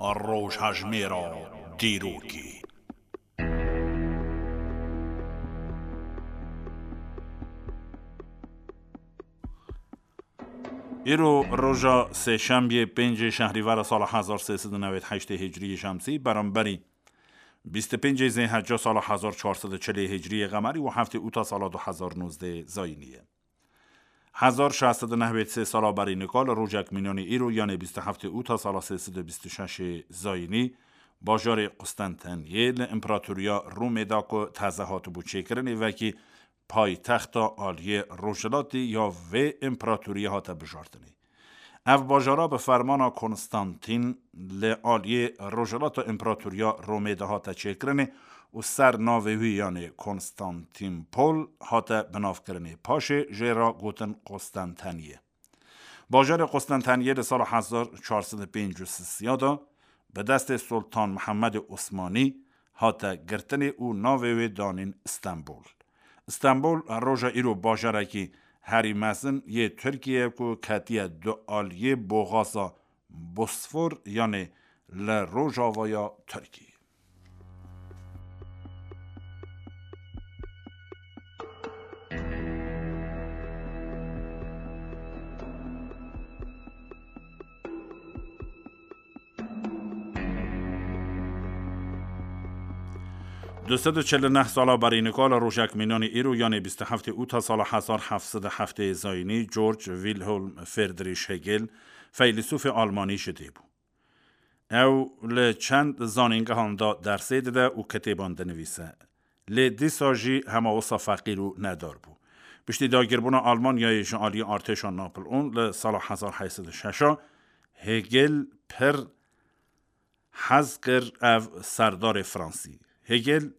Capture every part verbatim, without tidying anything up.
Rojhejmêra dîrokê. Îro roja sêşembiyê, pêncê şehrîvera sala hezar sê sed û newêd heştê hicriyê şemsî, beramberî bîst û pêncê zêhecca sala hezar çar sed û çilê hicriyê qemerî û heftê ûta sala du hezar nozdeh zayînî ye. Hezar şeş sed û newêd sê sala berî nika li rojek mînanî îro, yanê bîst û heftê ûta sala sê sed û bîst û şeş zayînî, bajarê Qustenteniyê li împeratoriya Romê de ku teze hatibû çêkirinê, wekî paytexta aliyê rojhilatî ya vê împeratoriyê hate bijartinê. Ev bajara bi fermana Konstantîn li aliyê rojhilata împeratoriya Romê de hate çêkirinê û ser navê wî, yanê Konstantînpol, hate binavkirinê. Paşê jê re gotin Qostenteniye. Bajarê Qostenteniye li sala hezar çar sed û pêncî û sisiya de bi destê Sultan Mihemedê Osmanî hate girtinê û navê wê danîn Stenbol. Stenbol roja îro bajarekî herî mezin yê Tirkiyê ye ku ketiye du aliyê boxaza Bosfor, yanê li rojavaya Tirkiyê. Du sed û çil û neh sala berî nika li rojek mînanî îro, yanê bîst û heftê ûta sala hezar heft sed û heftê zayînî, George Wilhelm Friedrich Hegel, feylesûfê almanî ji dê bû. Ew li çend zanîngehan de dersê dide û kitêban dinivîse. Lê dîsa jî hema wisa feqîr û nedar bû. Piştî dagirbûna Almanyayê ji aliyê artêşa Napleon li sala hezar heyt sed û şeş a, Hegel pir hez kir ev serdarê Fransî. Hegel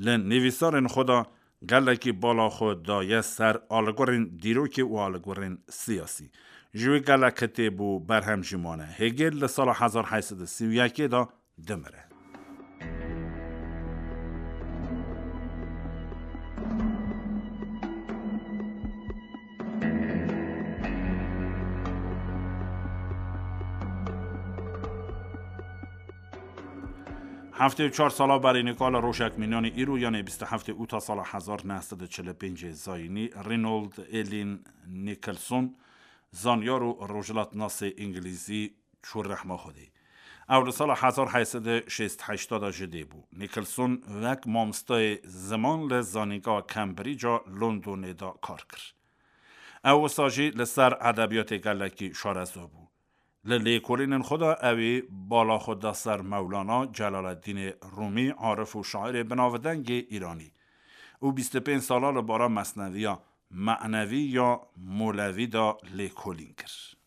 li nivîsarên xwe de gelekî bala xwe daye ser algorên dîrokê û algorên siyasî. Ji wî gelek kitêb û berhem jî mane. Hegel li sala hezar heyt sed û sî û yekê de dimire. Heftê û çar sala berî nika li rojek mînanî îro, yanê bîst û heftê ûta sala hezar neh sed û çil û pêncê zayînî, Reynold Elin Nicholson, zanyar û rojhilatnasê îngilîzî, çû rehma Xwedê. Ew li sala hezar heyt sed û şêst heşt de ji dê bû. Nicholson wek mamostayê ziman li Zanîngeha Cambridge-a Londonê de kar kir. Ew wisa jî li ser edebiyatê gelekî şareza bû. Li lêkolînên xwe de ew ê bala xwe da ser Mewlana, Celaleddînê Rûmî, arif û şairê binavdengê Îranî û bîst û pênc sala li bara mesneviya Me'nevî ya Molevî de lêkolîn kir.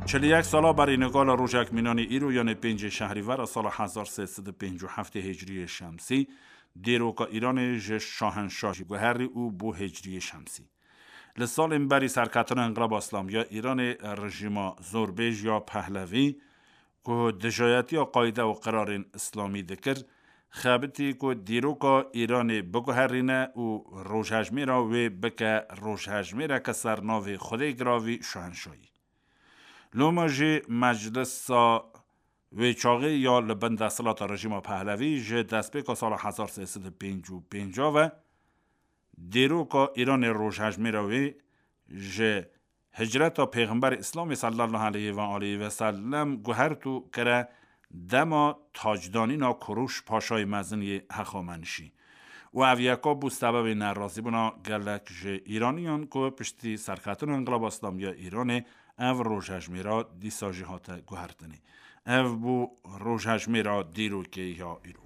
Çil û yek sala berî nika li rojek mînanî îro, yanê pêncê şehrîvera sala hezar sê sed û pêncî û heftê hicriyê şemsî, dîroka Îranê ji şahenşahî guherî û bû hicriyê şemsî. Li salên berî serketina Înqilaba Îslamî ya Îranê, rejîma zorbêj ya Pehlevî, ku dijayetiya qayde û qirarên îslamî dikir, xebitî ku dîroka Îranê biguherîne û rojhejmêra wê bike rojhejmêreke ser navê Xwedê giravî şahenşahî. Loma jî meclisa wê çaxê ya li bin desthilata rejîma Pehlevî ji destpêka sala hezar sê sed û pêncî û pênc ve dîroka Îranê rojhejmêra wê ji hicreta Pêxemberê Îslamê sallallahu aleyhi ve aleyhi ve sellem guhert û kire dema tacdanîna Kuruş Paşayê Mezin yê hexamenişî. Û ev yeka bû sebebê nerazîbûna gelek ji Îraniyan ku piştî serketina Înqilaba Îslamî ya Îranê ev rojhejmêra dîsa jî hate guhertinê. Ev bû rojhejmêra dîrokê ya îro.